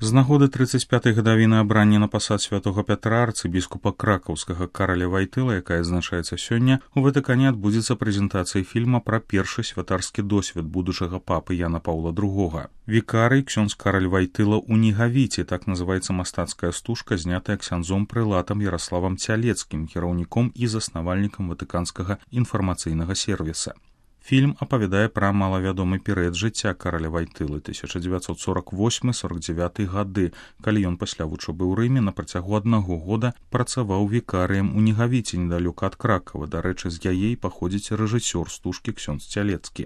З нагоды 35-й гадавіны абрання на пасад святога Пятра арцыбіскупа кракаўскага Караля Вайтыла, якая адзначаецца сёння, у Ватыкане адбудзецца прэзентацыя фільма пра першы святарскі досвед будучага папы Яна Паўла II. Вікарый ксёндз Караль Вайтыла ў Нігавіце, так называецца мастацкая стужка, знятая ксяндзом прылатам Яраславам Цялецкім, кіраўніком і заснавальнікам ватыканскага інфармацыйнага сервіса. Фільм апавядае пра малавядомы перыяд жыцця караля Вайтылы 1948-49 гады, калі ён пасля вучобы ў Рыме на працягу 1 года працаваў вікарыем у Нігавіце недалёка ад Кракава. Дарэчы, з яе паходзіць рэжысёр стужкі ксёндз Цялецкі.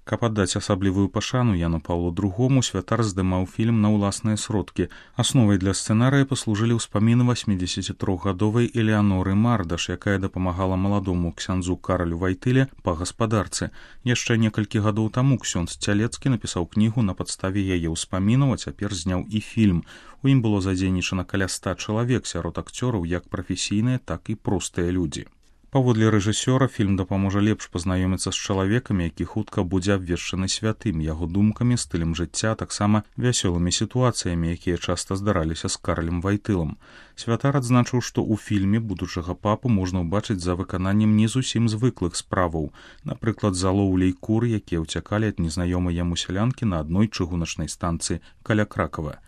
Каб аддаць асаблівую пашану Яну Паўлу II, святар здымаў фільм на ўласныя сродкі. Асновай для сцэнарыя паслужылі ўспаміны 83-гадовай Элеаноры Мардаш, якая дапамагала маладому ксяндзу Каралю Вайтыле па гаспадарцы. Яшчэ некалькі гадоў таму ксёндз Цялецкі напісаў кнігу на падставе яе ўспамінаў, а цяпер зняў і фільм. У ім было задзейнічана каля 100 чалавек, сярод акцёраў як прафесійныя, так і простыя людзі. Паводле рэжысёра, фільм дапаможа лепш пазнаёміцца з чалавекам, які хутка будзе абвешчаны святым, яго думкамі, стылем жыцця, таксама вясёлымі сітуацыямі, якія часта здараліся з Каралем Вайтылам. Святар адзначыў, што ў фільме будучага папу можна ўбачыць за выкананнем не зусім звыклых справаў, напрыклад, за лоўляй кур, якія ўцякалі ад незнаёмай яму сялянкі на адной чыгуначнай станцыі каля Кракава.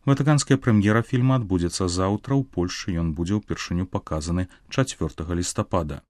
Ватыканская прэм'ера фільма адбудзецца заўтра. У Польшчы ён будзе ўпершыню паказаны 4 лістапада.